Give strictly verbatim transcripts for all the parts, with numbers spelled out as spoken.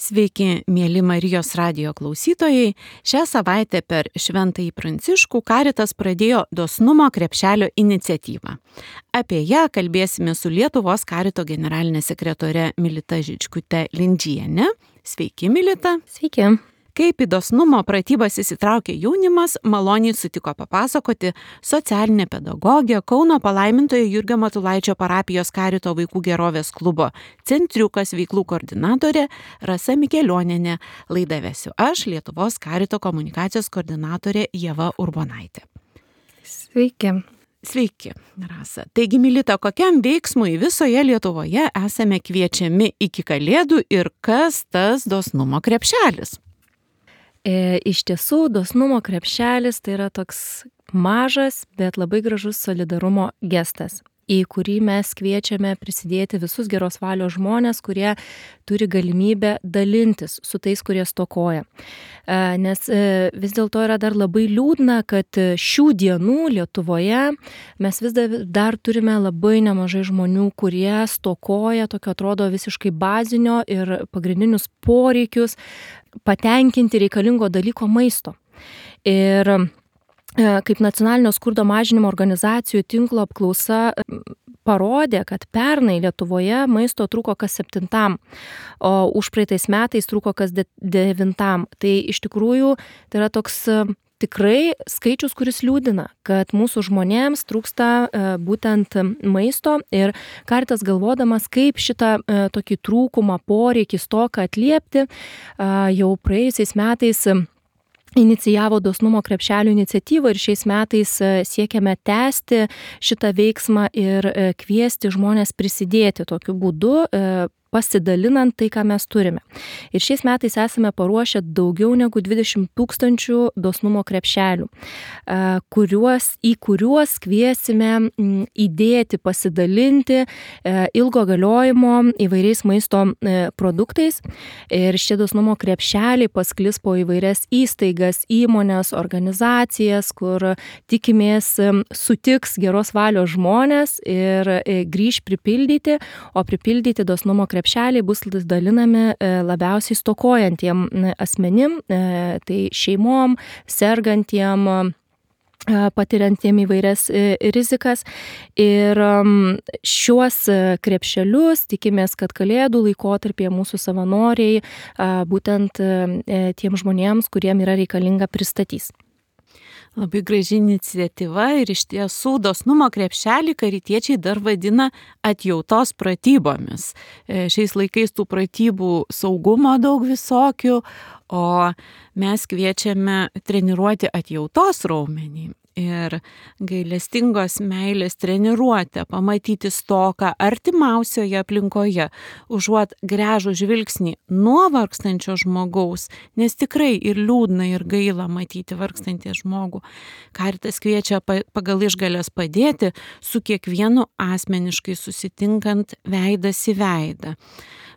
Sveiki, mėly Marijos radijo klausytojai. Šią savaitę per Šventąjį Pranciškų Karitas pradėjo dosnumo krepšelio iniciatyvą. Apie ją kalbėsime su Lietuvos Karito generalinė sekretore Milita Žičkute Lindžiene. Sveiki, Milita. Sveiki. Kaip į dosnumo pratybas įsitraukė jaunimas, maloniai sutiko papasakoti socialinė pedagogė, Kauno palaimintojo Jurgio Matulaičio parapijos Karito vaikų gerovės klubo Centriukas veiklų koordinatorė Rasa Mikelionienė. Laidą vesiu aš, Lietuvos Karito komunikacijos koordinatorė Ieva Urbonaitė. Sveiki. Sveiki, Rasa. Taigi, Milita, kokiam veiksmui visoje Lietuvoje esame kviečiami iki Kalėdų ir kas tas dosnumo krepšelis? E, iš tiesų, dosnumo krepšelis tai yra toks mažas, bet labai gražus solidarumo gestas, į kurį mes kviečiame prisidėti visus geros valios žmonės, kurie turi galimybę dalintis su tais, kurie stokoja. E, nes e, vis dėlto yra dar labai liūdna, kad šių dienų Lietuvoje mes vis dar, dar turime labai nemažai žmonių, kurie stokoja tokio atrodo visiškai bazinio ir pagrindinius poreikius patenkinti reikalingo dalyko maisto. Ir kaip nacionalinio skurdo mažinimo organizacijų tinklo apklausa parodė, kad pernai Lietuvoje maisto trūko kas septintam, o užpraeitais metais trūko kas de- devintam. Tai iš tikrųjų tai yra toks tikrai skaičius, kuris liūdina, kad mūsų žmonėms trūksta e, būtent maisto ir Karitas galvodamas, kaip šitą e, tokį trūkumą, poreikį, stoką atliepti, e, jau praėjusiais metais inicijavo dosnumo krepšelio iniciatyvą ir šiais metais siekiame tęsti šitą veiksmą ir kviesti žmonės prisidėti tokiu būdu, pasidalinant tai, ką mes turime. Ir šiais metais esame paruošę daugiau negu dvidešimt tūkstančių dosnumo krepšelių, kuriuos, į kuriuos kviesime įdėti, pasidalinti ilgo galiojimo įvairiais maisto produktais. Ir šie dosnumo krepšeliai pasklis po įvairias įstaigas, įmonės, organizacijas, kur tikimės sutiks geros valios žmonės ir grįž pripildyti, o pripildyti dosnumo krepšeliai krepšeliai bus dalinami labiausiai stokojantiem asmenim, tai šeimom, sergantiem, patiriantiem įvairias rizikas. Ir šiuos krepšelius tikimės, kad Kalėdų laikotarpyje mūsų savanoriai būtent tiem žmonėms, kuriem yra reikalinga, pristatys. Labai graži iniciatyva ir iš tiesų dosnumo krepšelį karitiečiai dar vadina atjautos pratybomis. Šiais laikais tų pratybų saugumo daug visokių, o mes kviečiame treniruoti atjautos raumenį. Ir gailestingos meilės treniruotę, pamatyti stoką artimiausioje aplinkoje, užuot gręžų žvilgsnį nuo vargstančio žmogaus, nes tikrai ir liūdna, ir gaila matyti vargstantį žmogų. Karitas kviečia pagal išgalės padėti su kiekvienu asmeniškai susitinkant veidas į veidą.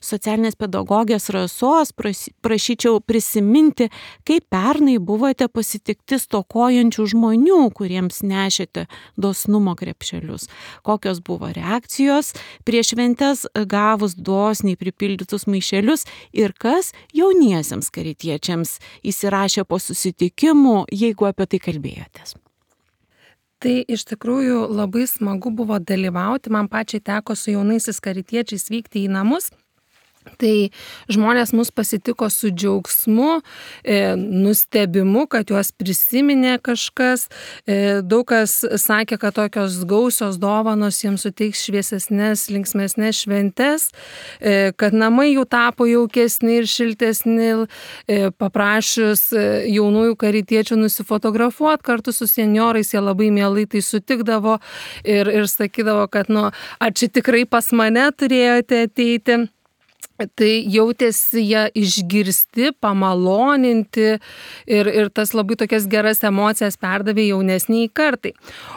Socialinės pedagogės Rasos prašyčiau prisiminti, kaip pernai buvote pasitikti stokojančių žmonių, kuriems nešėte dosnumo krepšelius. Kokios buvo reakcijos prieš šventes gavus dosniai pripildytus maišelius ir kas jauniesiems karitiečiams įsirašė po susitikimų, jeigu apie tai kalbėjotės. Tai iš tikrųjų labai smagu buvo dalyvauti, man pačiai teko su jaunaisiais karitiečiais vykti į namus. Tai žmonės mus pasitiko su džiaugsmu, e, nustebimu, kad juos prisiminė kažkas. E, daug kas sakė, kad tokios gausios dovanos jiems suteiks šviesesnės, linksmesnės šventes, e, kad namai jų tapo jaukesni ir šiltesni, e, paprašius jaunųjų karitiečių nusifotografuoti kartu su senjorais, jie labai mielai tai sutikdavo ir, ir sakydavo, kad nu, ar čia tikrai pas mane turėjote ateiti. Tai jautėsi jie išgirsti, pamaloninti ir, ir tas labai tokias geras emocijas perdavė jaunesniai kartai.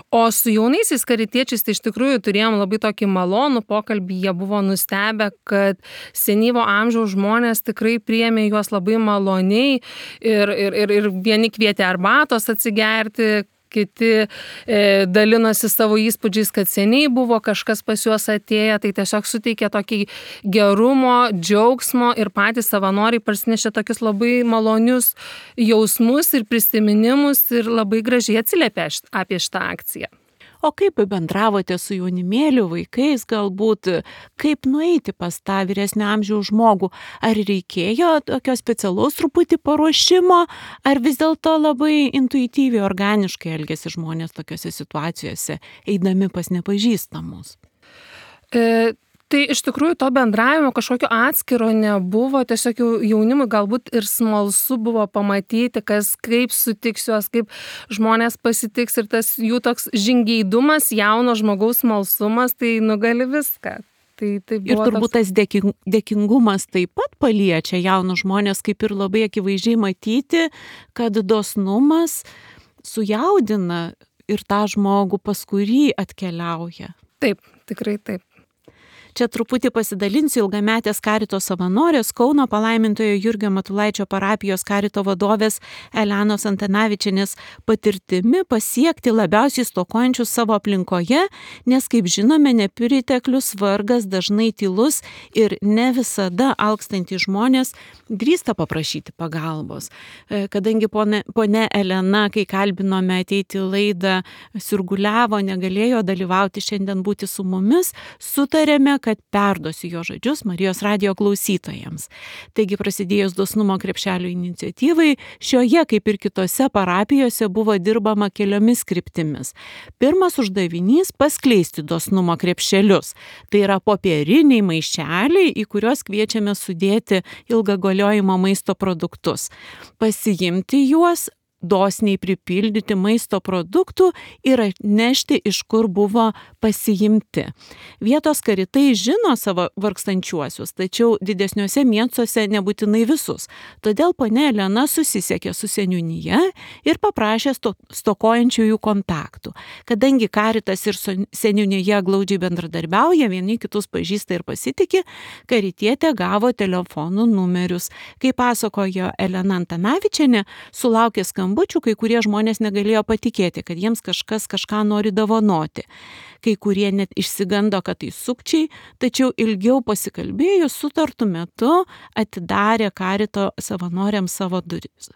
O su jaunaisiais karitiečiais tai iš tikrųjų turėjom labai tokį malonų pokalbį, jie buvo nustebę, kad senyvo amžiaus žmonės tikrai priėmė juos labai maloniai ir, ir, ir, ir vieni kvietė arbatos atsigerti, kiti e, dalinosi savo įspūdžiais, kad seniai buvo kažkas pas juos atėję, tai tiesiog suteikė tokį gerumo, džiaugsmo ir patys savanoriai parsinešė tokius labai malonius jausmus ir prisiminimus ir labai gražiai atsiliepė apie šitą akciją. O kaip bendravote su jaunimėliu, vaikais, galbūt kaip nueiti pas tą vyresnio amžiaus žmogų? Ar reikėjo tokio specialaus truputį paruošimo, ar vis dėlto labai intuityviai, organiškai elgėsi žmonės tokiose situacijose, eidami pas nepažįstamus? E... Tai iš tikrųjų to bendravimo kažkokio atskiro nebuvo, tiesiog jaunimui galbūt ir smalsu buvo pamatyti, kas kaip sutiks juos, kaip žmonės pasitiks ir tas jų toks žingeidumas, jauno žmogaus smalsumas, tai nugali viską. Tai, tai ir turbūt toks... tas dėkingumas taip pat paliečia jaunus žmonės, kaip ir labai akivaizdžiai matyti, kad dosnumas sujaudina ir tą žmogų, pas kurį atkeliauja. Taip, tikrai taip. Čia truputį pasidalinsiu ilgametės karito savanorės Kauno palaimintojo Jurgio Matulaičio parapijos karito vadovės Elenos Antanavičienės patirtimi pasiekti labiausiai stokojančius savo aplinkoje, nes, kaip žinome, nepriteklius, vargas, dažnai tylus ir ne visada alkstantys žmonės drįsta paprašyti pagalbos. Kadangi ponia Elena, kai kalbinome ateiti į laidą, sirguliavo, negalėjo dalyvauti šiandien būti su mumis, sutarėme, kad perduosiu jo žodžius Marijos radijo klausytojams. Taigi, prasidėjus dosnumo krepšelio iniciatyvai, šioje, kaip ir kitose parapijose, buvo dirbama keliomis kryptimis. Pirmas uždavinys - paskleisti dosnumo krepšelius. Tai yra popieriniai maišeliai, į kuriuos kviečiame sudėti ilgą galiojimo maisto produktus. Pasiimti juos, dosniai pripildyti maisto produktų ir atnešti, iš kur buvo pasiimti. Vietos karitai žino savo vargstančiuosius, tačiau didesniuose miestuose nebūtinai visus. Todėl ponia Elena susisiekė su seniūnija ir paprašė sto, stokojančiųjų kontaktų. Kadangi karitas ir seniūnija glaudžiai bendradarbiauja, vieni kitus pažįsta ir pasitikė, karitietė gavo telefonų numerius. Kaip pasakojo Elena Antanavičienė, sulaukė skambučių, kai kurie žmonės negalėjo patikėti, kad jiems kažkas kažką nori dovanoti. Kai kurie net išsigando, kad tai sukčiai, tačiau ilgiau pasikalbėjus sutartu metu atidarė karito savanoriams savo duris.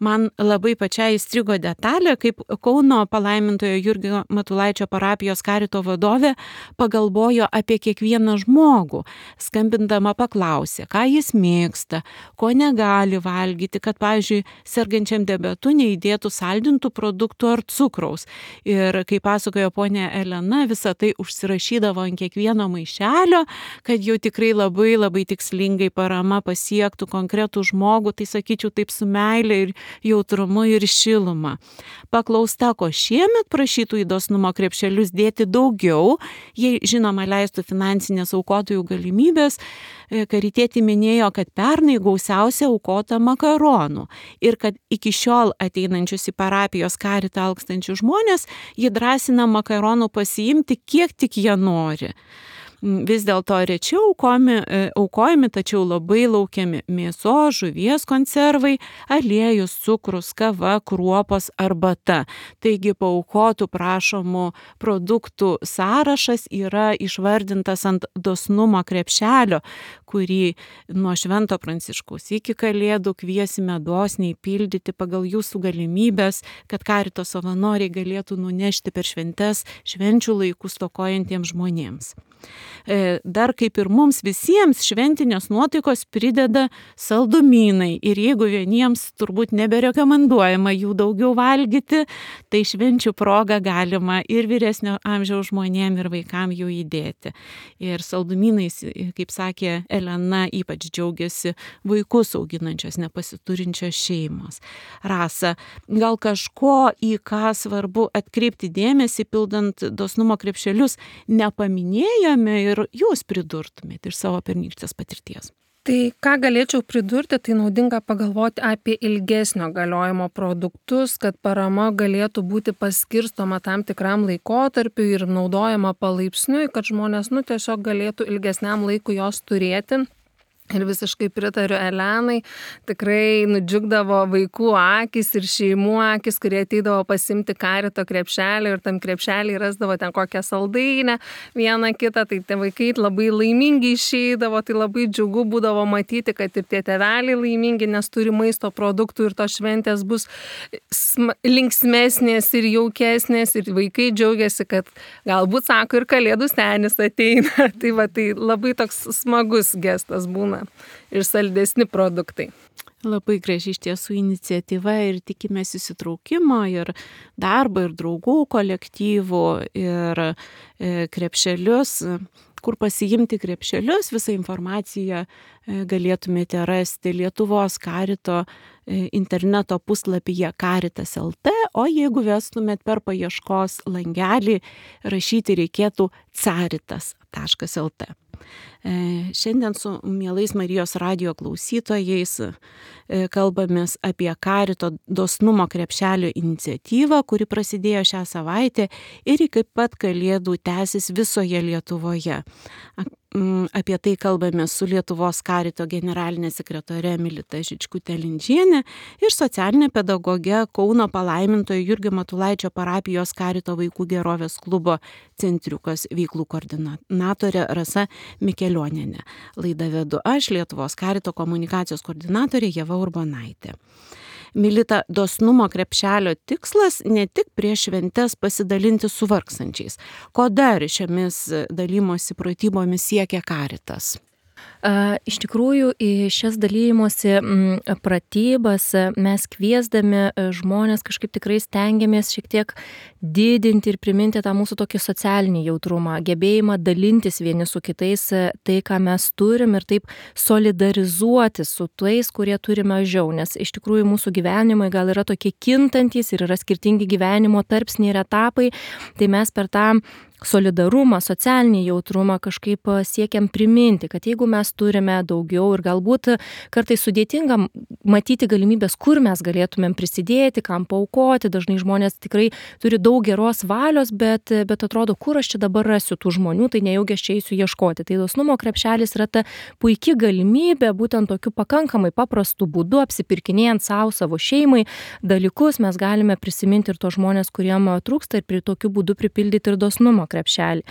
Man labai pačiai įstrigo detalė, kaip Kauno palaimintojo Jurgio Matulaičio parapijos karito vadovė pagalvojo apie kiekvieną žmogų. Skambindama paklausė, ką jis mėgsta, ko negali valgyti, kad, pavyzdžiui, sergančiam diabetu neįdėtų saldintų produktų ar cukraus. Ir kaip pasakojo ponia Elena, visą tai užsirašydavo ant kiekvieno maišelio, kad jau tikrai labai labai tikslingai parama pasiektų konkretų žmogų, tai sakyčiau taip su meile ir jautrumu ir šiluma. Paklausta, ko šiemet prašytų į dosnumo krepšelius dėti daugiau, jei žinoma leistų finansinės aukotojų galimybės, karitietė minėjo, kad pernai gausiausia aukota makaronų ir kad iki šiol ateinančius į parapijos karitą alkstančius žmonės jį drąsina makaronų pasiimti, kiek tik jie nori. Vis dėlto rečiau aukojami, aukojami, tačiau labai laukiami mėsos, žuvies konservai, aliejus, cukrus, kava, kruopos, arbata. Taigi paaukotų prašomų produktų sąrašas yra išvardintas ant dosnumo krepšelio, kurį nuo Švento Pranciškaus iki Kalėdų kviesime dosniai pildyti pagal jūsų galimybės, kad karito savanoriai galėtų nunešti per šventes švenčių laikų stokojantiems žmonėms. Dar kaip ir mums visiems šventinės nuotaikos prideda saldumynai ir jeigu vieniems turbūt neberekomenduojama jų daugiau valgyti, tai švenčių proga galima ir vyresnio amžiaus žmonėm ir vaikam jų įdėti. Ir saldumynais, kaip sakė Elena, ypač džiaugiasi vaikus auginančios nepasiturinčios šeimos. Rasa, gal kažko, į ką svarbu atkreipti dėmesį pildant dosnumo krepšelius, nepaminėjome ir jūs pridurtumėte iš savo pernykštės patirties? Tai ką galėčiau pridurti, tai naudinga pagalvoti apie ilgesnio galiojimo produktus, kad parama galėtų būti paskirstoma tam tikram laikotarpiu ir naudojama palaipsniui, kad žmonės nu, tiesiog galėtų ilgesniam laikui jos turėti. Ir visiškai pritariu Elenai, tikrai nudžiugdavo vaikų akis ir šeimų akis, kurie ateidavo pasimti karito krepšelį ir tam krepšelį rasdavo ten kokią saldainę, vieną kitą, tai tie vaikai labai laimingi išeidavo, tai labai džiugu būdavo matyti, kad ir tie tėveliai laimingi, nes turi maisto produktų ir tos šventės bus linksmesnės ir jaukesnės ir vaikai džiaugiasi, kad galbūt, sako, ir kalėdų senis ateina. Tai va, tai labai toks smagus gestas būna. Ir saldesni produktai. Labai graži iš tiesų iniciatyva ir tikimės įsitraukimo ir darbo, ir draugų kolektyvų, ir krepšelius, kur pasiimti krepšelius, visą informaciją galėtumėte rasti Lietuvos karito interneto puslapyje karitas taškas lt, o jeigu vestumėt per paieškos langelį, rašyti reikėtų caritas taškas lt. Šiandien su mielais Marijos radijo klausytojais kalbamės apie karito dosnumo krepšelio iniciatyvą, kuri prasidėjo šią savaitę ir iki pat kalėdų tęsis visoje Lietuvoje. Apie tai kalbame su Lietuvos karito generalinė sekretorė Milita Žičkutė-Lindžienė ir socialinė pedagogė Kauno palaimintojo Jurgio Matulaičio parapijos karito vaikų gerovės klubo Centriukas veiklų koordinatorė Rasa Mikelionienė. Laidą vedu aš, Lietuvos karito komunikacijos koordinatorė Ieva Urbonaitė. Milita, dosnumo krepšelio tikslas ne tik prieš šventes pasidalinti su vargstančiais. Ko dar šiomis dalymosi pratybomis siekia karitas? Iš tikrųjų, į šias dalymosi pratybas mes kviesdami žmonės kažkaip tikrai stengiamės šiek tiek didinti ir priminti tą mūsų tokį socialinį jautrumą, gebėjimą dalintis vieni su kitais tai, ką mes turim ir taip solidarizuoti su tais, kurie turi mažiau, nes iš tikrųjų mūsų gyvenimai gal yra tokie kintantys ir yra skirtingi gyvenimo tarpsniai ir etapai, tai mes per tą solidarumą, socialinį jautrumą kažkaip siekiam priminti, kad jeigu mes turime daugiau ir galbūt kartais sudėtinga matyti galimybės, kur mes galėtumėm prisidėti, kam paaukoti, dažnai žmonės tikrai turi daug geros valios, bet, bet atrodo, kur aš čia dabar rasiu tų žmonių, tai nejaugi aš čia eisiu ieškoti. Tai dosnumo krepšelis yra ta puikia galimybė būtent tokiu pakankamai paprastu būdu, apsipirkinėjant savo, savo šeimai dalykus, mes galime prisiminti ir tos žmonės, kuriem trūksta ir prie tokiu būdu pripildyti ir dosnumo krepšelį.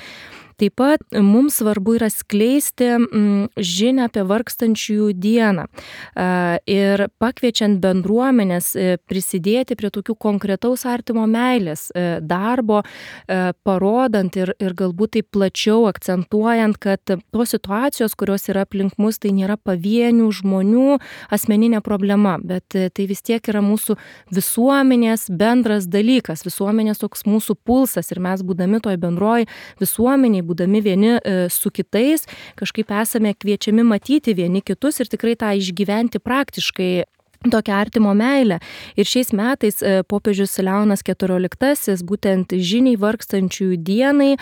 Taip pat mums svarbu yra skleisti žinią apie vargstančiųjų dieną ir pakviečiant bendruomenės prisidėti prie tokių konkretaus artimo meilės darbo, parodant ir, ir galbūt taip plačiau akcentuojant, kad tos situacijos, kurios yra aplink mus, tai nėra pavienių žmonių asmeninė problema, bet tai vis tiek yra mūsų visuomenės bendras dalykas, visuomenės toks mūsų pulsas ir mes būdami toj bendroj visuomeniai, būdami vieni su kitais, kažkaip esame kviečiami matyti vieni kitus ir tikrai tą išgyventi praktiškai tokią artimo meilę. Ir šiais metais popiežius Leonas keturioliktasis būtent žiniai vargstančiųjų dienai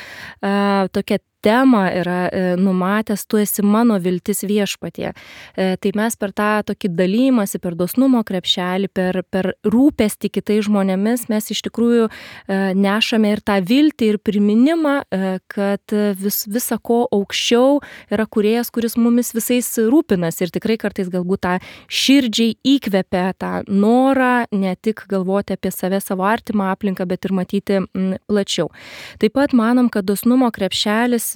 tokia temą yra numatęs, tu esi mano viltis viešpatie. Tai mes per tą tokį dalymąsi, per dosnumo krepšelį, per, per rūpestį kitais žmonėmis, mes iš tikrųjų nešame ir tą viltį ir priminimą, kad vis, visa ko aukščiau yra kūrėjas, kuris mumis visais rūpinas ir tikrai kartais galbūt tą širdžiai įkvepia tą norą ne tik galvoti apie save, savo artimą aplinką, bet ir matyti plačiau. Taip pat manom, kad dosnumo krepšelis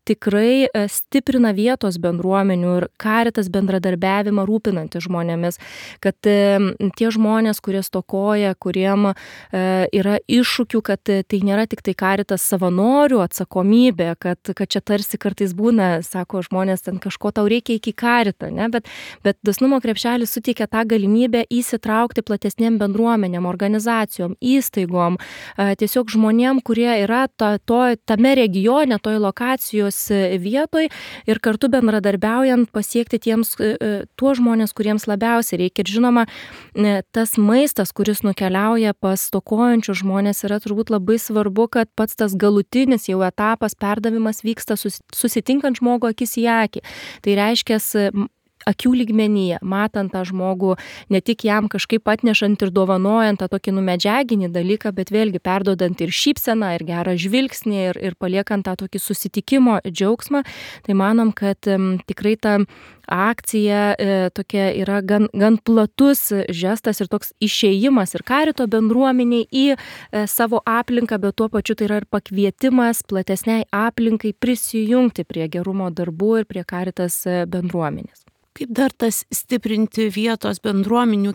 tikrai stiprina vietos bendruomenių ir karitas bendradarbiavimą rūpinantys žmonėmis, kad tie žmonės, kurie stokoja, kuriem yra iššūkių, kad tai nėra tik tai karitas savanorių atsakomybė, kad, kad čia tarsi kartais būna, sako žmonės, ten kažko tau reikia iki karitą, ne? bet, bet dosnumo krepšelis suteikia tą galimybę įsitraukti platesnėm bendruomenėm, organizacijom, įstaigom, tiesiog žmonėm, kurie yra to, to, tame regione, toj lokacijos vietoj ir kartu bendradarbiaujant pasiekti tiems, tuos žmonės, kuriems labiausiai reikia. Ir žinoma, tas maistas, kuris nukeliauja pas stokojančius žmonės, yra turbūt labai svarbu, kad pats tas galutinis jau etapas perdavimas vyksta susitinkant žmogų akis į akį. Tai reiškia, akių lygmenyje, matant tą žmogų, ne tik jam kažkaip atnešant ir dovanojant tą tokį numedžiaginį dalyką, bet vėlgi perdodant ir šypseną, ir gerą žvilgsnį, ir, ir paliekant tą tokį susitikimo džiaugsmą, tai manom, kad um, tikrai ta akcija e, tokia yra gan, gan platus žestas ir toks išėjimas ir karito bendruomeniai į e, savo aplinką, bet tuo pačiu tai yra ir pakvietimas platesniai aplinkai prisijungti prie gerumo darbų ir prie karitas bendruomenės. Kaip dar tas stiprinti vietos bendruomenių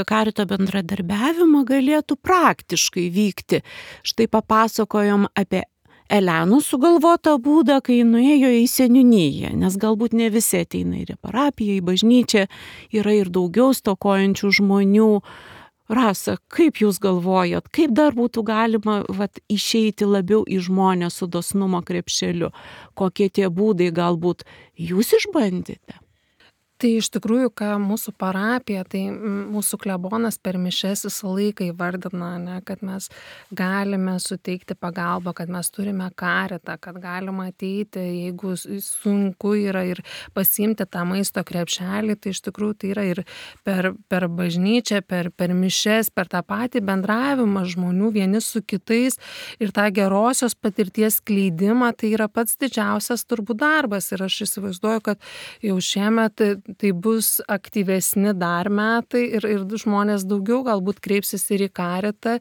karito bendradarbiavimą galėtų praktiškai vykti? Štai papasakojom apie Elenos sugalvotą būdą, kai nuėjo į seniūniją, nes galbūt ne visi ateina ir į parapiją, į bažnyčią, yra ir daugiau stokojančių žmonių. Rasa, kaip jūs galvojat, kaip dar būtų galima vat, išeiti labiau į žmonės su dosnumo krepšeliu? Kokie tie būdai galbūt jūs išbandėte? Tai iš tikrųjų, ką mūsų parapija, tai mūsų klebonas per mišes visą laiką įvardina, ne, kad mes galime suteikti pagalbą, kad mes turime karitą, kad galima ateiti, jeigu sunku yra ir pasiimti tą maisto krepšelį, tai iš tikrųjų tai yra ir per, per bažnyčią, per, per mišes, per tą patį bendravimą žmonių vieni su kitais ir tą gerosios patirties skleidimą, tai yra pats didžiausias turbūt darbas. Ir aš įsivaizduoju, kad jau šiemet tai bus aktyvesni dar metai ir, ir žmonės daugiau galbūt kreipsis ir į karitą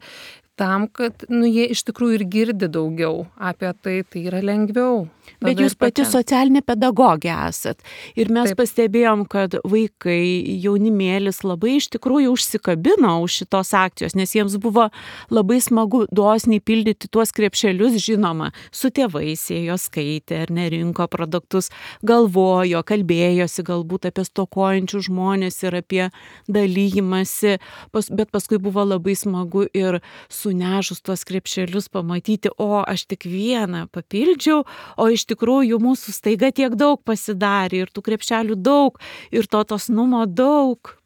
tam, kad nu, jie iš tikrųjų ir girdi daugiau apie tai, tai yra lengviau. Bet jūs pati socialinė pedagogė esat. Ir mes Taip. Pastebėjom, kad vaikai, jaunimėlis labai iš tikrųjų užsikabino už šitos akcijos, nes jiems buvo labai smagu dosniai pildyti tuos krepšelius, žinoma, su tėvais ėjo skaitė ar nerinko produktus, galvojo, kalbėjosi galbūt apie stokojančių žmonės ir apie dalyjimąsi, bet paskui buvo labai smagu ir sunešus tuos krepšelius pamatyti, o aš tik vieną papildžiau, o iš tikrųjų mūsų staiga tiek daug pasidarė ir tų krepšelių daug ir to dosnumo daug.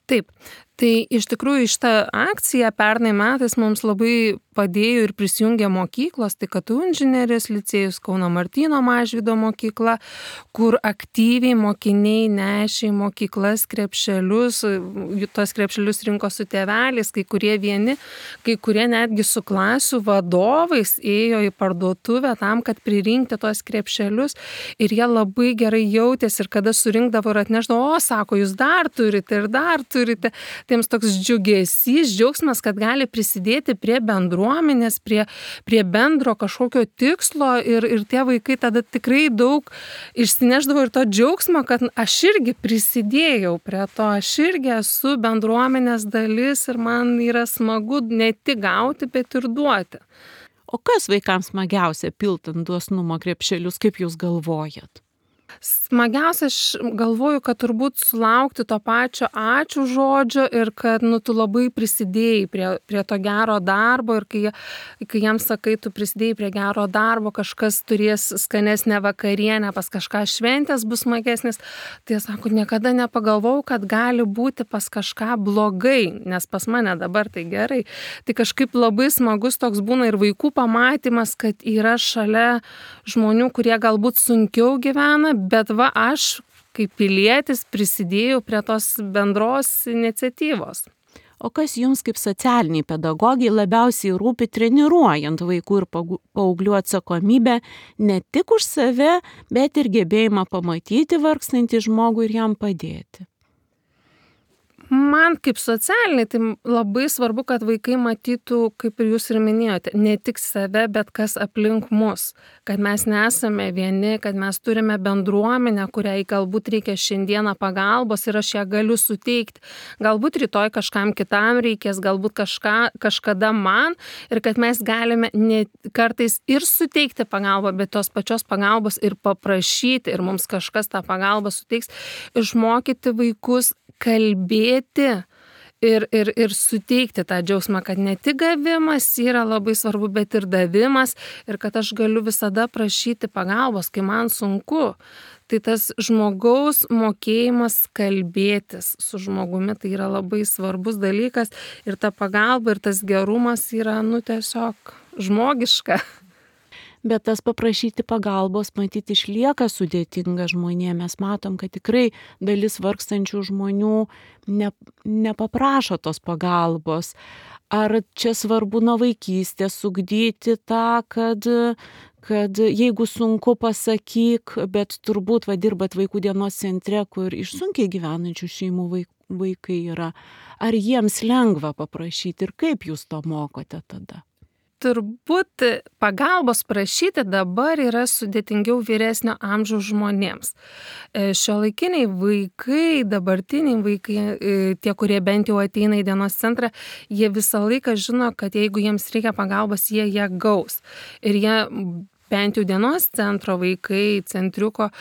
Taip, tai iš tikrųjų šitą akciją pernai metais mums labai padėjo ir prisijungė mokyklos, tai K T U inžinerijos licėjus, Kauno Martyno Mažvydo mokykla, kur aktyviai mokiniai nešė į mokyklas krepšelius, tos krepšelius rinko su tėveliais, kai kurie vieni, kai kurie netgi su klasių vadovais ėjo į parduotuvę tam, kad pririnkti tos krepšelius ir jie labai gerai jautėsi ir kada surinkdavo ir atneždavo, o sako, jūs dar turite ir dar turite. Tai jiems toks džiugesys, džiaugsmas, kad gali prisidėti prie bendruomenės, prie, prie bendro kažkokio tikslo ir, ir tie vaikai tada tikrai daug išsineždavo ir to džiaugsmo, kad aš irgi prisidėjau prie to, aš irgi esu bendruomenės dalis ir man yra smagu ne tik gauti, bet ir duoti. O kas vaikams smagiausia piltant dosnumo krepšelius, kaip jūs galvojat? Smagiausia, aš galvoju, kad turbūt sulaukti to pačio ačiū žodžio ir kad nu, tu labai prisidėjai prie, prie to gero darbo ir kai, kai jiems sakai, tu prisidėjai prie gero darbo, kažkas turės skanesnę vakarienę, pas kažką šventės bus smagesnis, tai jie sako, niekada nepagalvojau, kad gali būti pas kažką blogai, nes pas mane dabar tai gerai. Tai kažkaip labai smagus toks būna ir vaikų pamatymas, kad yra šalia žmonių, kurie galbūt sunkiau gyvena, bet va aš kaip pilietis prisidėjau prie tos bendros iniciatyvos. O kas jums kaip socialiniai pedagogai labiausiai rūpi treniruojant vaikų ir paauglių atsakomybę ne tik už save, bet ir gebėjimą pamatyti vargstantį žmogų ir jam padėti? Man kaip socialiniai, tai labai svarbu, kad vaikai matytų, kaip ir jūs ir minėjote, ne tik save, bet kas aplink mus. Kad mes nesame vieni, kad mes turime bendruomenę, kuriai galbūt reikia šiandieną pagalbos ir aš ją galiu suteikti. Galbūt rytoj kažkam kitam reikės, galbūt kažką, kažkada man ir kad mes galime ne kartais ir suteikti pagalbą, bet tos pačios pagalbos ir paprašyti ir mums kažkas tą pagalbą suteiks, išmokyti vaikus kalbėti ir, ir, ir suteikti tą džiaugsmą, kad ne tik gavimas yra labai svarbu, bet ir davimas ir kad aš galiu visada prašyti pagalbos, kai man sunku. Tai tas žmogaus mokėjimas kalbėtis su žmogumi, tai yra labai svarbus dalykas ir ta pagalba ir tas gerumas yra, nu, tiesiog žmogiška. Bet tas paprašyti pagalbos, matyti, išlieka sudėtinga žmonėms. Mes matom, kad tikrai dalis vargstančių žmonių ne, nepaprašo tos pagalbos. Ar čia svarbu nuo vaikystės ugdyti tą, kad, kad jeigu sunku, pasakyk, bet turbūt va, dirbat vaikų dienos centre, kur iš sunkiai gyvenančių šeimų vaikai yra. Ar jiems lengva paprašyti ir kaip jūs to mokote tada? Turbūt pagalbos prašyti dabar yra sudėtingiau vyresnio amžiaus žmonėms. Šiuolaikiniai vaikai, dabartiniai vaikai, tie, kurie bent jau ateina į dienos centrą, jie visą laiką žino, kad jeigu jiems reikia pagalbos, jie ją gaus. Ir jie bent jau dienos centro vaikai, centriuko,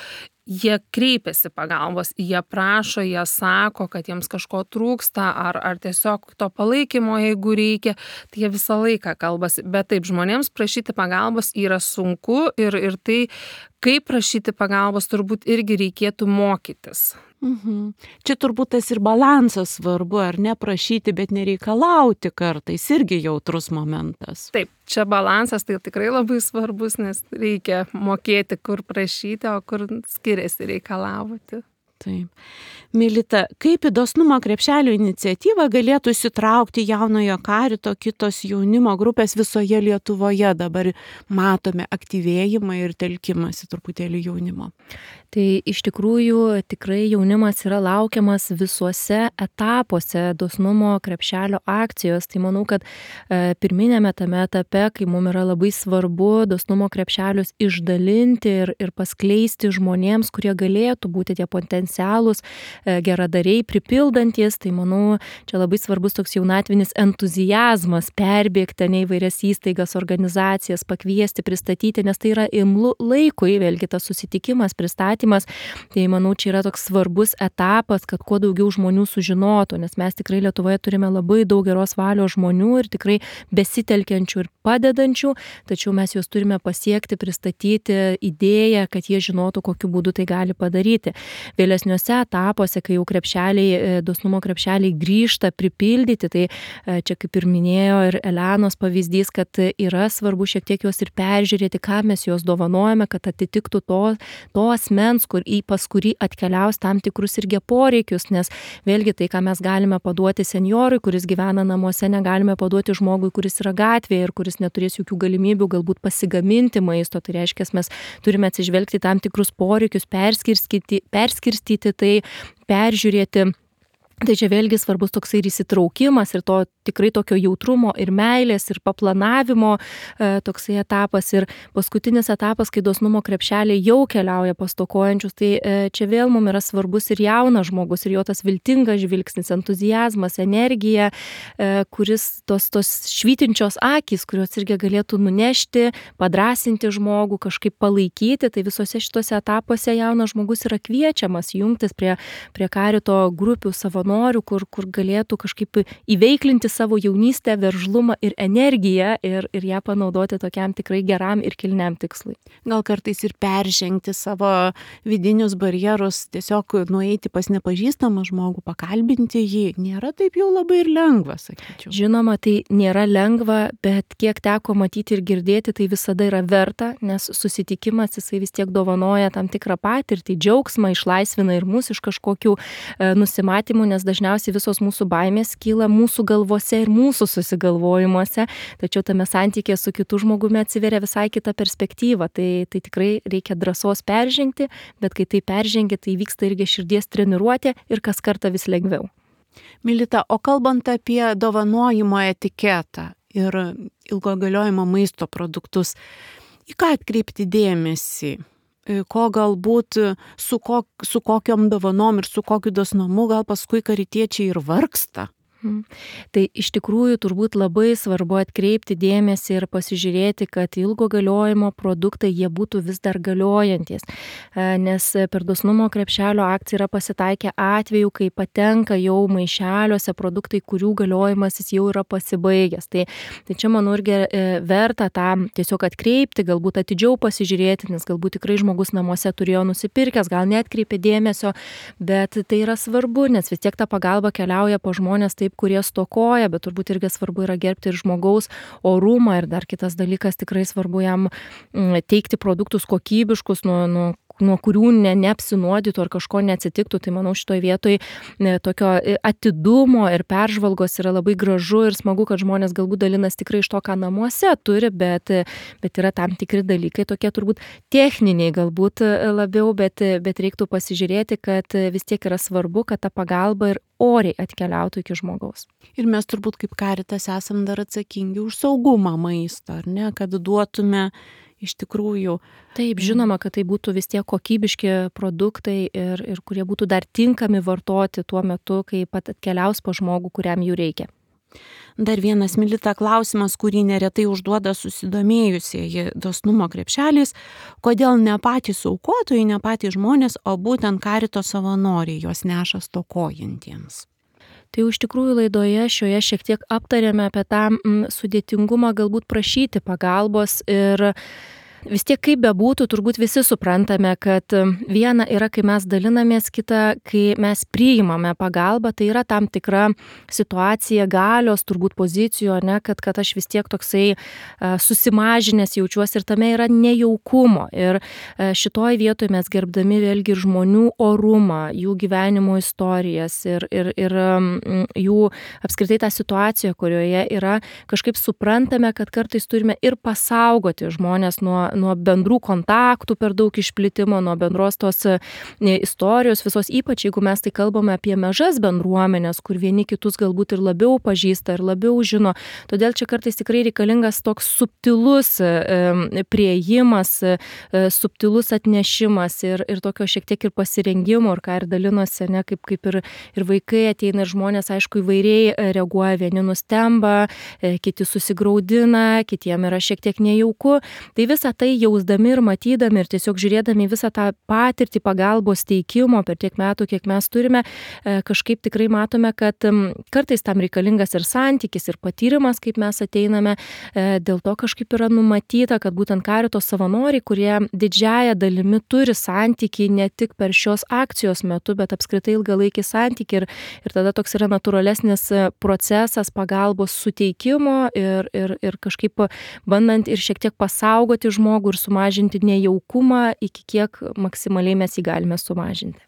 jie kreipiasi pagalbos, jie prašo, jie sako, kad jiems kažko trūksta ar, ar tiesiog to palaikymo, jeigu reikia, tai jie visą laiką kalbasi. Bet taip, žmonėms prašyti pagalbos yra sunku ir, ir tai, kaip prašyti pagalbos, turbūt irgi reikėtų mokytis. Mhm. Čia turbūt tas ir balansas svarbu, ar ne prašyti, bet nereikalauti kartais, irgi jautrus momentas. Taip, čia balansas tai tikrai labai svarbus, nes reikia mokėti, kur prašyti, o kur skiriasi reikalauti. Taip. Milita, kaip į dosnumo krepšelio iniciatyvą galėtų įsitraukti Jaunojo Karito kitos jaunimo grupės visoje Lietuvoje? Dabar matome aktyvėjimą ir telkimąsi truputėlį jaunimo. Tai iš tikrųjų tikrai jaunimas yra laukiamas visuose etapuose dosnumo krepšelio akcijos. Tai manau, kad e, pirminėme tame etape, kai mums yra labai svarbu dosnumo krepšelius išdalinti ir, ir paskleisti žmonėms, kurie galėtų būti tie potencialūs e, geradariai, pripildantis, tai manau, čia labai svarbus toks jaunatvinis entuziazmas perbėgti ne įvairias įstaigas, organizacijas, pakviesti, pristatyti, nes tai yra imlu laikui, vėlgi tas susitikimas, pristatymas. Tai manau, čia yra toks svarbus etapas, kad kuo daugiau žmonių sužinotų, nes mes tikrai Lietuvoje turime labai daug geros valios žmonių ir tikrai besitelkiančių ir padedančių, tačiau mes juos turime pasiekti, pristatyti idėją, kad jie žinotų, kokiu būdu tai gali padaryti. Vėlesniuose etapuose, kai jau krepšeliai, dosnumo krepšeliai grįžta pripildyti, tai čia kaip ir minėjo ir Elenos pavyzdys, kad yra svarbu šiek tiek juos ir peržiūrėti, ką mes juos dovanojame, kad atitiktų to, to asmens, kur į pas kurį atkeliaus tam tikrus irgi poreikius, nes vėlgi tai, ką mes galime paduoti senjorui, kuris gyvena namuose, negalime paduoti žmogui, kuris yra gatvėje ir kuris neturės jokių galimybių galbūt pasigaminti maisto. Tai reiškia, mes turime atsižvelgti tam tikrus poreikius, perskirstyti, perskirstyti tai, peržiūrėti. Tai čia vėlgi svarbus toksai ir įsitraukimas ir to tikrai tokio jautrumo ir meilės ir paplanavimo e, toksai etapas. Ir paskutinis etapas, kai dosnumo krepšeliai jau keliauja pas stokojančius, tai e, čia vėl mums yra svarbus ir jaunas žmogus ir jo tas viltingas žvilgsnis, entuziazmas, energija, e, kuris tos, tos švytinčios akys, kurios irgi galėtų nunešti, padrasinti žmogų, kažkaip palaikyti. Tai visose šitose etapuose jaunas žmogus yra kviečiamas jungtis prie, prie Karito grupių savanorių, Kur, kur galėtų kažkaip įveiklinti savo jaunystę, veržlumą ir energiją ir, ir ją panaudoti tokiam tikrai geram ir kilniam tikslui. Gal kartais ir peržengti savo vidinius barjerus, tiesiog nueiti pas nepažįstamą žmogų, pakalbinti jį, nėra taip jau labai ir lengva, sakyčiau. Žinoma, tai nėra lengva, bet kiek teko matyti ir girdėti, tai visada yra verta, nes susitikimas jisai vis tiek dovanoja tam tikrą patirtį, džiaugsmą, išlaisvina ir mus iš kažkokių e, nusimatymų, nes dažniausiai visos mūsų baimės kyla mūsų galvose ir mūsų susigalvojimuose, tačiau tame santykėje su kitu žmogumi atsiveria visai kita perspektyva. Tai, tai tikrai reikia drąsos peržengti, bet kai tai peržengi, tai vyksta irgi širdies treniruotė ir kas kartą vis lengviau. Milita, o kalbant apie dovanojimo etiketą ir ilgo galiojimo maisto produktus, į ką atkreipti dėmesį? Ko galbūt su, kok, su kokiom dovanom ir su kokiu dosnumu gal paskui karitiečiai ir vargsta? Tai iš tikrųjų turbūt labai svarbu atkreipti dėmesį ir pasižiūrėti, kad ilgo galiojimo produktai jie būtų vis dar galiojantis, nes per dosnumo krepšelio akciją yra pasitaikę atvejų, kai patenka jau maišeliuose produktai, kurių galiojimas jis jau yra pasibaigęs. Tai, tai čia manau irgi verta tam tiesiog atkreipti, galbūt atidžiau pasižiūrėti, nes galbūt tikrai žmogus namuose turėjo nusipirkęs, gal neatkreipė dėmesio, bet tai yra svarbu, nes vis tiek ta pagalba keliauja po žmonės taip, taip, kurie stokoja, bet turbūt irgi svarbu yra gerbti ir žmogaus orumą ir dar kitas dalykas, tikrai svarbu jam teikti produktus kokybiškus, nuo, nuo nuo kurių ne, neapsinuodytų ar kažko neatsitiktų. Tai manau šitoj vietoj ne, tokio atidumo ir peržvalgos yra labai gražu ir smagu, kad žmonės galbūt dalinas tikrai iš to, ką namuose turi, bet, bet yra tam tikri dalykai, tokie turbūt techniniai galbūt labiau, bet, bet reiktų pasižiūrėti, kad vis tiek yra svarbu, kad ta pagalba ir oriai atkeliautų iki žmogaus. Ir mes turbūt kaip Caritas esam dar atsakingi už saugumą maisto, ar ne, kad duotume iš tikrųjų. Taip, žinoma, kad tai būtų vis tiek kokybiški produktai ir, ir kurie būtų dar tinkami vartoti tuo metu, kai pat atkeliaus pa žmogų, kuriam jų reikia. Dar vienas, Milita, klausimas, kurį neretai užduoda susidomėjusieji dosnumo krepšeliais, kodėl ne patys aukotojai, ne patys žmonės, o būtent Carito savanoriai juos neša stokojantiems. Tai iš tikrųjų laidoje šioje šiek tiek aptarėme apie tą m, sudėtingumą galbūt prašyti pagalbos ir vis tiek kaip bebūtų, turbūt visi suprantame, kad viena yra, kai mes dalinamės, kita, kai mes priimame pagalbą, tai yra tam tikra situacija galios, turbūt pozicijų, ne, kad, kad aš vis tiek toksai uh, susimažinęs jaučiuosi ir tame yra nejaukumo. Ir uh, šitoj vietoj mes gerbdami vėlgi ir žmonių orumą, jų gyvenimo istorijas ir, ir, ir um, jų apskritai tą situaciją, kurioje yra, kažkaip suprantame, kad kartais turime ir pasaugoti žmonės nuo nuo bendrų kontaktų per daug išplitimo, nuo bendros tos istorijos visos, ypač jeigu mes tai kalbame apie mažas bendruomenės, kur vieni kitus galbūt ir labiau pažįsta ir labiau žino. Todėl čia kartais tikrai reikalingas toks subtilus e, priėjimas, e, subtilus atnešimas ir, ir tokio šiek tiek ir pasirengimo, ir ką ir dalinosi, ne, kaip, kaip ir, ir vaikai ateina ir žmonės, aišku, įvairiai reaguoja, vieni nustemba, e, kiti susigraudina, kitiem yra šiek tiek nejauku. Tai visą tai jausdami ir matydami ir tiesiog žiūrėdami visą tą patirtį pagalbos teikimo per tiek metų, kiek mes turime, kažkaip tikrai matome, kad kartais tam reikalingas ir santykis, ir patyrimas, kaip mes ateiname. Dėl to kažkaip yra numatyta, kad būtent Carito savanoriai, kurie didžiąją dalimi turi santykį ne tik per šios akcijos metu, bet apskritai ilgalaikį santykį ir, ir tada toks yra natūralesnis procesas pagalbos suteikimo ir, ir, ir kažkaip bandant ir šiek tiek pasaugoti žmogų ir sumažinti nejaukumą, iki kiek maksimaliai mes jį galime sumažinti.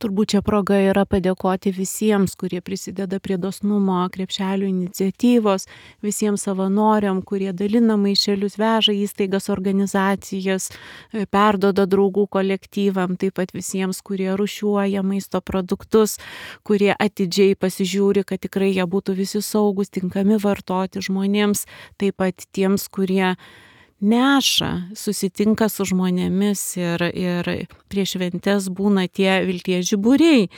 Turbūt čia proga yra padėkoti visiems, kurie prisideda prie dosnumo krepšelių iniciatyvos, visiems savanoriam, kurie dalina maišelius, veža įstaigas, organizacijas, perdoda draugų kolektyvam, taip pat visiems, kurie rušiuoja maisto produktus, kurie atidžiai pasižiūri, kad tikrai jie būtų visi saugus, tinkami vartoti žmonėms, taip pat tiems, kurie neša, susitinka su žmonėmis ir, ir prieš šventes būna tie vilties žiburiai.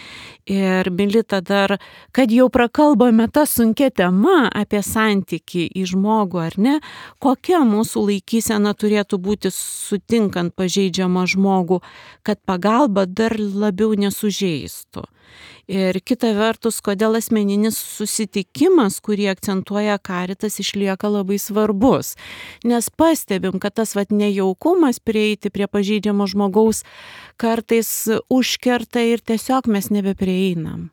Ir Milita dar, kad jau prakalbame tą sunkia tema apie santykį į žmogų, ar ne, kokia mūsų laikysena turėtų būti sutinkant pažeidžiamą žmogų, kad pagalba dar labiau nesužeistų. Ir kita vertus, kodėl asmeninis susitikimas, kurį akcentuoja Caritas, išlieka labai svarbus. Nes pastebim, kad tas vat nejaukumas prieiti prie pažeidžiamo žmogaus kartais užkerta ir tiesiog mes nebeprieinam.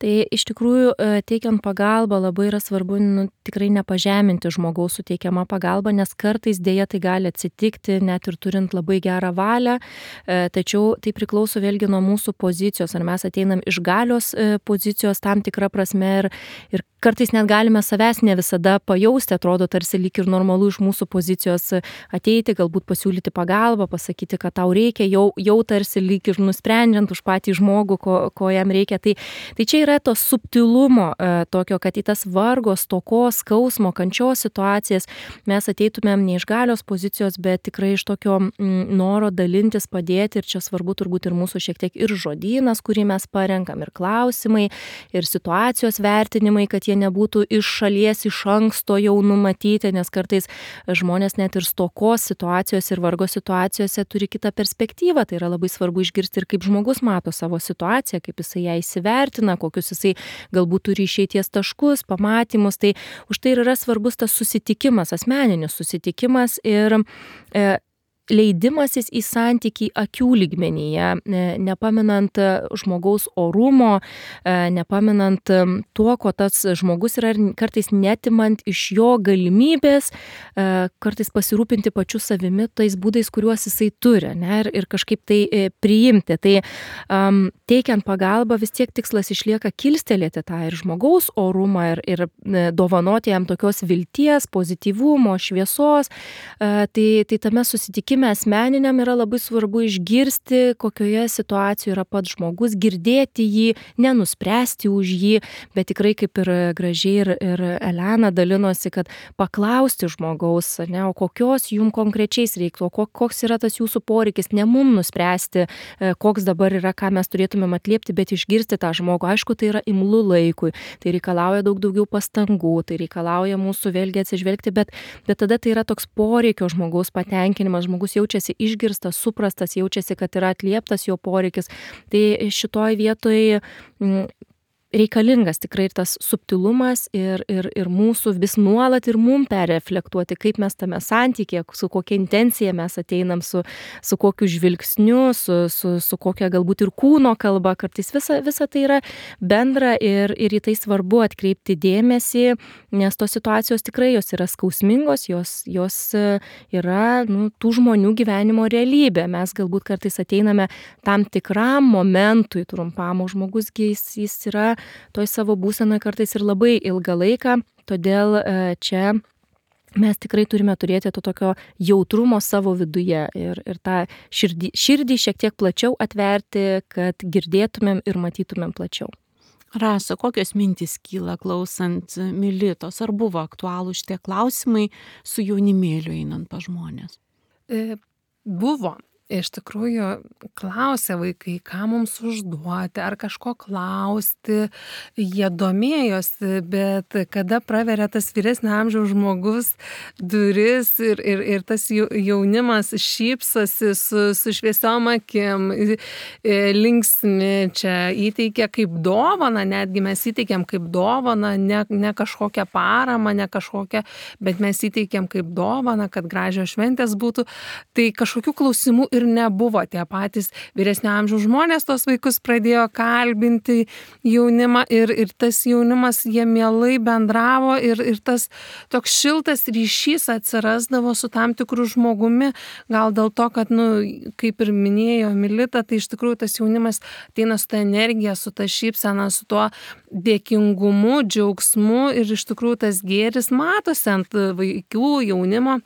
Tai iš tikrųjų teikiant pagalbą labai yra svarbu nu, tikrai nepažeminti žmogaus suteikiamą pagalbą, nes kartais dėja tai gali atsitikti, net ir turint labai gerą valią, tačiau tai priklauso vėlgi nuo mūsų pozicijos, ar mes ateinam iš galios pozicijos tam tikrą prasme ir, ir kartais net galime savęs ne visada pajausti, atrodo tarsi lyg ir normalu iš mūsų pozicijos ateiti, galbūt pasiūlyti pagalbą, pasakyti, kad tau reikia, jau, jau tarsi lyg ir nusprendžiant už patį žmogų, ko, ko jam reikia. Tai, tai čia yra to subtilumo e, tokio, kad į tas vargo, stokos, skausmo, kančios situacijas mes ateitumėm ne iš galios pozicijos, bet tikrai iš tokio m, noro dalintis, padėti ir čia svarbu turbūt ir mūsų šiek tiek ir žodynas, kurį mes parenkam, ir klausimai, ir situacijos vertinimai, kad jie nebūtų iš šalies iš anksto jau numatyti, nes kartais žmonės net ir stokos situacijos ir vargo situacijose turi kitą perspektyvą. Tai yra labai svarbu išgirsti ir kaip žmogus mato savo situaciją, kaip jisai ją įsivertina, kokius jisai galbūt turi išeities taškus, pamatymus. Tai už tai yra svarbus tas susitikimas, asmeninis susitikimas ir e, leidimasis į santykį akių lygmenyje, nepaminant žmogaus orumo, nepaminant tuo, ko tas žmogus yra, kartais netimant iš jo galimybės, kartais pasirūpinti pačiu savimi tais būdais, kuriuos jisai turi, ne, ir, ir kažkaip tai priimti. Tai um, teikiant pagalbą vis tiek tikslas išlieka kilstelėti tą ir žmogaus orumą ir, ir dovanoti jam tokios vilties, pozityvumo, šviesos. Tai, tai tame susitikime asmeniniam yra labai svarbu išgirsti, kokioje situacijoje yra pats žmogus, girdėti jį, nenuspręsti už jį, bet tikrai kaip ir gražiai ir, ir Elena dalinosi, kad paklausti žmogaus, ne, o kokios jum konkrečiais reiktų, o koks yra tas jūsų poreikis, ne mum nuspręsti, koks dabar yra, ką mes turėtumėm atliepti, bet išgirsti tą žmogų. Aišku, tai yra imlu laikui, tai reikalauja daug daugiau pastangų, tai reikalauja mūsų vėlgi atsižvelgti, bet, bet tada tai yra toks poreikio žmogaus patenkinimas, žmogus jaučiasi išgirstas, suprastas, jaučiasi, kad yra atlieptas jo poreikis. Tai šitoj vietoj reikalingas tikrai ir tas subtilumas ir, ir, ir mūsų vis nuolat ir mum perreflektuoti, kaip mes tame santykė, su kokia intencija mes ateinam, su, su kokiu žvilgsniu, su, su, su kokia galbūt ir kūno kalba, kartais visa, visa tai yra bendra ir, ir į tai svarbu atkreipti dėmesį, nes tos situacijos tikrai jos yra skausmingos, jos, jos yra nu, tų žmonių gyvenimo realybė. Mes galbūt kartais ateiname tam tikram momentui trumpam, o žmogus jis, jis yra toj savo būsenoje kartais ir labai ilgą laiką, todėl čia mes tikrai turime turėti to tokio jautrumo savo viduje ir, ir tą širdį, širdį šiek tiek plačiau atverti, kad girdėtumėm ir matytumėm plačiau. Rasa, kokios mintys kyla klausant Militos? Ar buvo aktualūs šitie klausimai su jaunimėliu einant pas žmonės? E, buvo. Iš tikrųjų, klausė vaikai, ką mums užduoti, ar kažko klausti, jie domėjosi, bet kada praveria tas vyresnio amžiaus žmogus duris ir, ir, ir tas jaunimas šypsosi su, su šviesiom akim, linksmi čia įteikia kaip dovaną, netgi mes įteikiam kaip dovaną, ne, ne kažkokią paramą, ne kažkokią, bet mes įteikiam kaip dovaną, kad gražios šventės būtų, tai kažkokių klausimų ir nebuvo. Tie patys vyresnio amžiaus žmonės tos vaikus pradėjo kalbinti jaunimą ir, ir tas jaunimas jie mielai bendravo ir, ir tas toks šiltas ryšys atsirasdavo su tam tikru žmogumi, gal dėl to, kad, nu, kaip ir minėjo Milita, tai iš tikrųjų tas jaunimas ateina su ta energija, su ta šypsena, su tuo dėkingumu, džiaugsmu ir iš tikrųjų tas gėris matosi ant vaikų, jaunimo.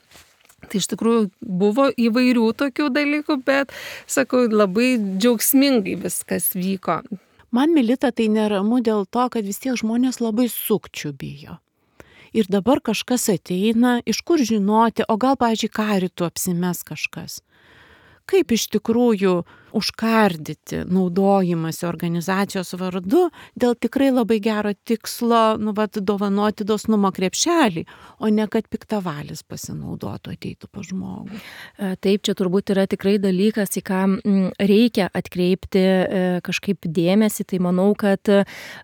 Tai iš tikrųjų buvo įvairių tokių dalykų, bet, sakau, labai džiaugsmingai viskas vyko. Man, Milita, tai neramu dėl to, kad vis tiek žmonės labai sukčių bijo. Ir dabar kažkas ateina, iš kur žinoti, o gal, pavyzdžiui, karitų apsimes kažkas. Kaip iš tikrųjų užkardyti naudojimąsi organizacijos vardu dėl tikrai labai gero tikslo, nu, vat, dovanoti dosnumo krepšelį, o ne kad piktavalis pasinaudotų, ateitų pas žmogų. Taip, čia turbūt yra tikrai dalykas, į ką reikia atkreipti kažkaip dėmesį. Tai manau, kad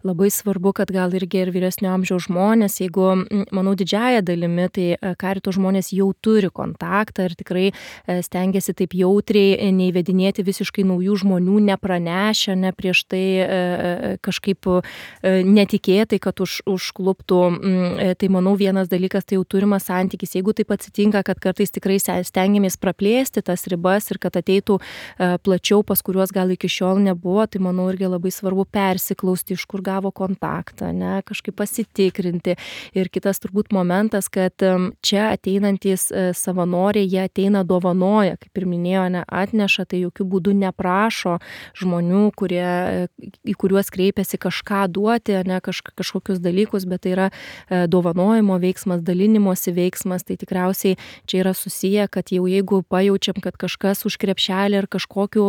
labai svarbu, kad gal irgi ir vyresnio amžiaus žmonės, jeigu, manau, didžiąja dalimi, tai karito žmonės jau turi kontaktą ir tikrai stengiasi taip jautriai neįvedinėti visiškai naujų žmonių, nepranešę, ne prieš tai e, kažkaip e, netikėtai, kad už, užkluptų. E, tai manau vienas dalykas, tai jau turimas santykis. Jeigu taip atsitinka, kad kartais tikrai stengiamės praplėsti tas ribas ir kad ateitų e, plačiau, pas kuriuos gal iki šiol nebuvo, tai manau irgi labai svarbu persiklausti, iš kur gavo kontaktą, ne, kažkaip pasitikrinti. Ir kitas turbūt momentas, kad čia ateinantys savanoriai, jie ateina dovanoja, kaip ir minėjo, ne, atneša, tai jokių būdų neprašo žmonių, kurie, į kuriuos kreipiasi kažką duoti, ne kaž, kažkokius dalykus, bet tai yra dovanojimo veiksmas, dalinimosi veiksmas, tai tikriausiai čia yra susiję, kad jau jeigu pajaučiam, kad kažkas už krepšelį ar kažkokiu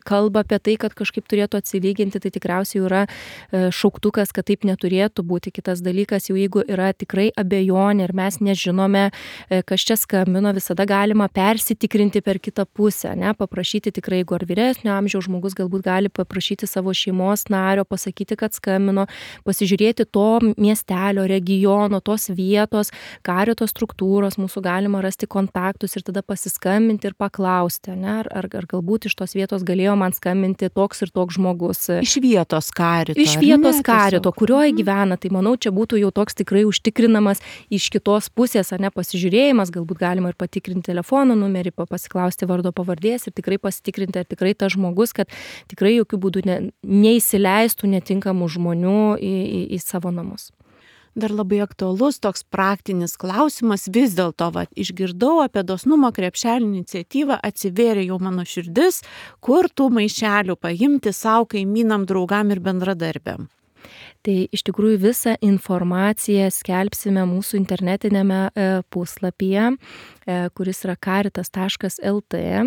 kalba apie tai, kad kažkaip turėtų atsilyginti, tai tikriausiai yra šauktukas, kad taip neturėtų būti. Kitas dalykas, jau jeigu yra tikrai abejonė ir mes nežinome, kas čia skambino, visada galima persitikrinti per kitą pusę, ne, paprašyti tikrai, jeigu ar vyresnio amžiaus žmogus galbūt gali paprašyti savo šeimos nario, pasakyti, kad skambino, pasižiūrėti to miestelio, regiono, tos vietos, karito struktūros, mūsų galima rasti kontaktus ir tada pasiskambinti ir paklausti, ne, ar, ar, ar galbūt iš tos vietos galėjo man skambinti toks ir toks žmogus. Iš vietos karito. Iš vietos karito, kurioje gyvena, tai manau, čia būtų jau toks tikrai užtikrinamas iš kitos pusės, ar ne, pasižiūrėjimas, galbūt galima ir patikrinti telefono numerį, pasiklausti vardo pavardės ir tikrai pasitikrinti, ar tikrai tas žmogus, kad tikrai jokių būdų ne, neįsileistų netinkamų žmonių į, į, į savo namus. Dar labai aktualus toks praktinis klausimas, vis dėlto, va, išgirdau apie dosnumo krepšelį iniciatyvą, atsivėrė jau mano širdis, kur tų maišelių paimti savo kaimynam, draugam ir bendradarbiam. Tai iš tikrųjų visą informaciją skelbsime mūsų internetinėme puslapyje, kuris yra caritas taškas el tė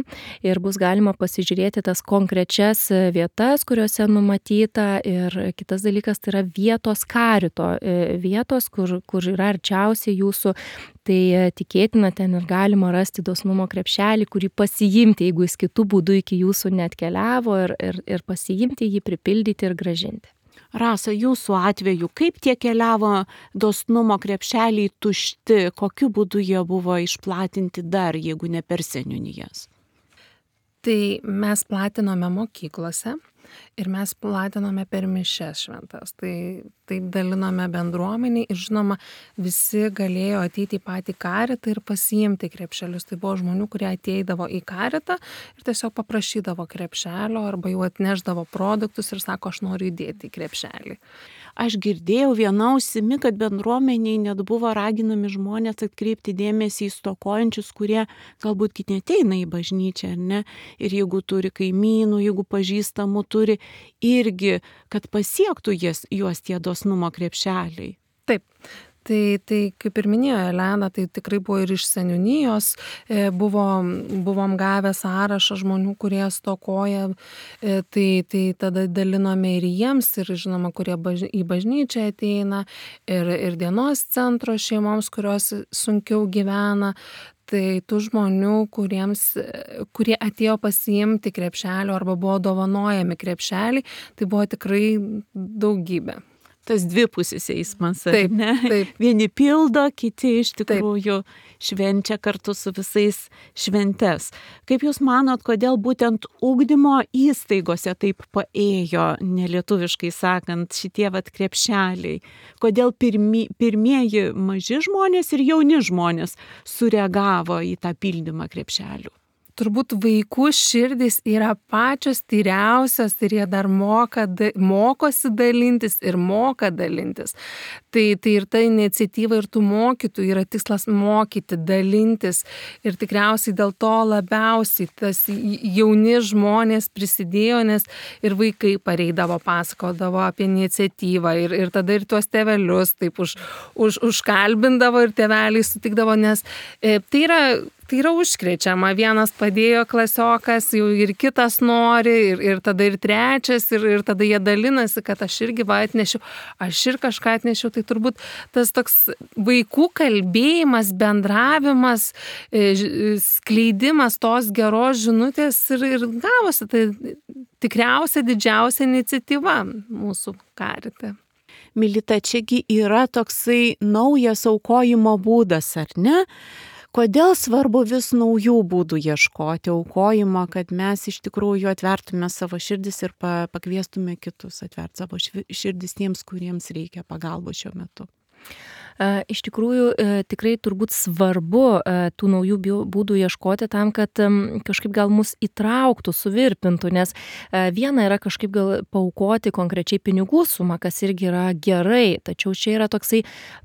ir bus galima pasižiūrėti tas konkrečias vietas, kuriuose numatyta ir kitas dalykas tai yra vietos karito, vietos, kur, kur yra arčiausiai jūsų. Tai tikėtina, ten ir galima rasti dosnumo krepšelį, kurį pasiimti, jeigu jis kitų būdų iki jūsų neatkeliavo ir, ir, ir pasiimti jį, pripildyti ir gražinti. Rasa, jūsų atveju, kaip tie keliavo dosnumo krepšeliai tušti, kokiu būdu jie buvo išplatinti dar, jeigu ne per seniūnijas? Tai mes platinome mokyklose ir mes platinome per mišias šventas. Tai taip dalinome bendruomeniai ir žinoma, visi galėjo ateiti į patį karitą ir pasiimti krepšelius. Tai buvo žmonių, kurie ateidavo į karitą ir tiesiog paprašydavo krepšelio arba jau atneždavo produktus ir sako, aš noriu įdėti į krepšelį. Aš girdėjau viena ausimi, kad bendruomeniai net buvo raginami žmonės atkreipti dėmesį į stokojančius, kurie galbūt neateina į bažnyčią, ar ne? Ir jeigu turi kaimynų, jeigu pažįstamų turi, irgi, kad pasiektų jas, juos tie dosnumo krepšeliai. Taip. Tai, tai kaip ir minėjo Elena, tai tikrai buvo ir iš seniūnijos, buvo, buvom gavę sąrašą žmonių, kurie stokoja, tai, tai tada dalinome ir jiems, ir žinoma, kurie baž, į bažnyčią ateina, ir, ir dienos centro šeimoms, kurios sunkiau gyvena. Tai tų žmonių, kuriems, kurie atėjo pasiimti krepšelio arba buvo dovanojami krepšelį, tai buvo tikrai daugybė. Tas dvipusis eismas, taip, ne? Taip. Vieni pildo, kiti iš tikrųjų taip. Švenčia kartu su visais šventes. Kaip Jūs manot, kodėl būtent ugdymo įstaigose taip paėjo, nelietuviškai sakant, šitie vat krepšeliai? Kodėl pirmi, pirmieji maži žmonės ir jauni žmonės sureagavo į tą pildymą krepšelių? Turbūt vaikų širdys yra pačios tyriausios ir jie dar moka, mokosi dalintis ir moka dalintis. Tai, tai ir ta iniciatyva ir tų mokytojų yra tikslas mokyti, dalintis. Ir tikriausiai dėl to labiausiai tas jauni žmonės prisidėjo, nes ir vaikai pareidavo, pasakodavo apie iniciatyvą ir, ir tada ir tuos tėvelius taip už, už, užkalbindavo ir tėveliai sutikdavo, nes e, tai yra Tai yra užkrečiama, vienas padėjo klasiokas, jau ir kitas nori, ir, ir tada ir trečias, ir, ir tada jie dalinasi, kad aš irgi va atnešiu, aš ir kažką atnešiu. Tai turbūt tas toks vaikų kalbėjimas, bendravimas, skleidimas tos geros žinutės ir, ir gavosi. Tai tikriausia didžiausia iniciatyva mūsų karite. Milita, čiagi yra toksai naujas aukojimo būdas, ar ne? Kodėl svarbu vis naujų būdų ieškoti aukojimo, kad mes iš tikrųjų atvertume savo širdis ir pakviestume kitus atverti savo širdis tiems, kuriems reikia pagalbos šiuo metu? Iš tikrųjų, tikrai turbūt svarbu tų naujų būdų ieškoti tam, kad kažkaip gal mus įtrauktų, suvirpintų, nes viena yra kažkaip gal paaukoti konkrečiai pinigų sumą, kas irgi yra gerai, tačiau čia yra toksai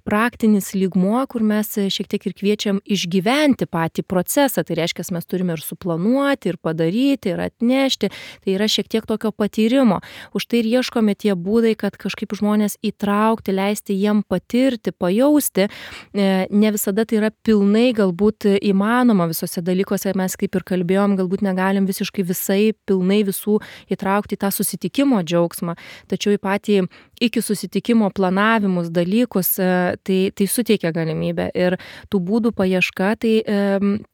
praktinis lygmuo, kur mes šiek tiek ir kviečiam išgyventi patį procesą, tai reiškia, mes turime ir suplanuoti, ir padaryti, ir atnešti, tai yra šiek tiek tokio patyrimo. Už tai ir ieškome tie būdai, kad kažkaip žmonės įtraukti, leisti jiem patirti patirti, pajausti. Ne visada tai yra pilnai galbūt įmanoma visose dalykuose, mes kaip ir kalbėjom, galbūt negalim visiškai visai pilnai visų įtraukti į tą susitikimo džiaugsmą, tačiau į patį iki susitikimo planavimus dalykus, tai, tai suteikia galimybę ir tų būdų paieška, tai e,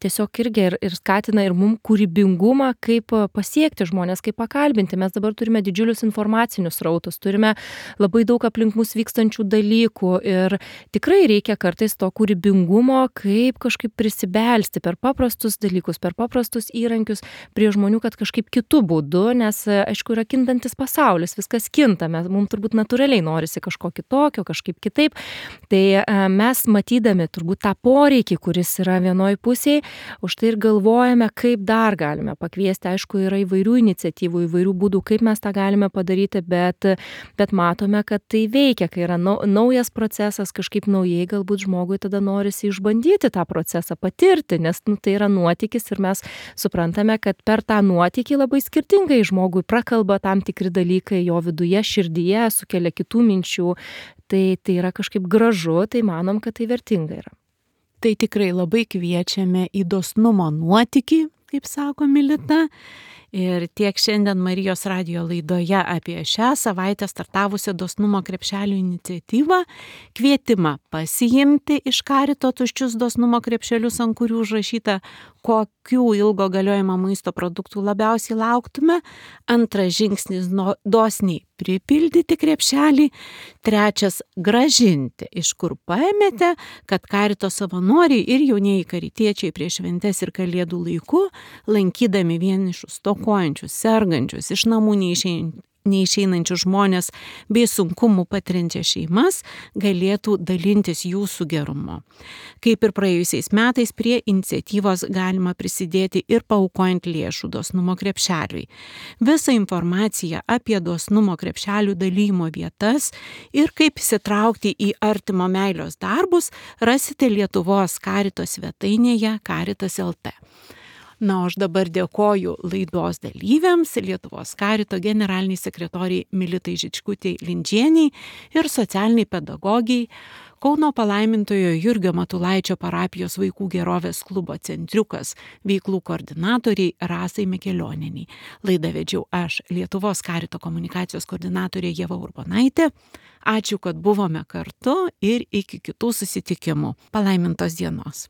tiesiog irgi ir, ir skatina ir mum kūrybingumą, kaip pasiekti žmonės, kaip pakalbinti. Mes dabar turime didžiulius informacinius rautus, turime labai daug aplink mus vykstančių dalykų ir tikrai reikia kartais to kūrybingumo, kaip kažkaip prisibelsti per paprastus dalykus, per paprastus įrankius prie žmonių, kad kažkaip kitų būdų, nes aišku yra kintantis pasaulis, viskas kinta, mes, mums turbūt natūraliai norisi kažko kitokio, kažkaip kitaip. Tai mes matydami turbūt tą poreikį, kuris yra vienoj pusėje, už tai ir galvojame, kaip dar galime pakviesti. Aišku, yra įvairių iniciatyvų, įvairių būdų, kaip mes tą galime padaryti, bet, bet matome, kad tai veikia, kai yra naujas procesas, kažkaip naujai galbūt žmogui tada norisi išbandyti tą procesą, patirti, nes nu, tai yra nuotykis ir mes suprantame, kad per tą nuotykį labai skirtingai žmogui prakalba tam tikri dalykai jo viduje, širdyje, sukelia kitų minčių. Tai, tai yra kažkaip gražu, tai manom, kad tai vertinga yra. Tai tikrai labai kviečiame į dosnumo nuotykį, kaip sako Milita. Ir tiek šiandien Marijos radijo laidoje apie šią savaitę startavusią dosnumo krepšelių iniciatyvą, kvietimą pasiimti iš Karito tuščius dosnumo krepšelius, ant kurių užrašyta, kokių ilgo galiojimo maisto produktų labiausiai lauktume. Antras žingsnis dosniai pripildyti krepšelį. Trečias grąžinti, iš kur paėmėte, kad Karito savanoriai ir jaunieji karitiečiai prieš šventes ir kalėdų laiku, lankydami vienišus, stokojančius, sergančius, iš namų neišeinančius, neišeinančius žmonės bei sunkumų patiriančias šeimas, galėtų dalintis jūsų gerumu. Kaip ir praėjusiais metais, prie iniciatyvos galima prisidėti ir paaukojant lėšų dosnumo krepšeliui. Visą informaciją apie dosnumo krepšelių dalymo vietas ir kaip įsitraukti į artimo meilės darbus rasite Lietuvos Karito svetainėje Karitas taškas el tė. Na, aš dabar dėkoju laidos dalyviams, Lietuvos Karito generaliniai sekretoriai Militai Žičkutei Lindžieniai ir socialiniai pedagogiai, Kauno palaimintojo Jurgio Matulaičio parapijos vaikų gerovės klubo Centriukas veiklų koordinatoriai Rasai Mikelionienei. Laidą vedžiau aš, Lietuvos Karito komunikacijos koordinatorė Ieva Urbonaitė. Ačiū, kad buvome kartu ir iki kitų susitikimų. Palaimintos dienos.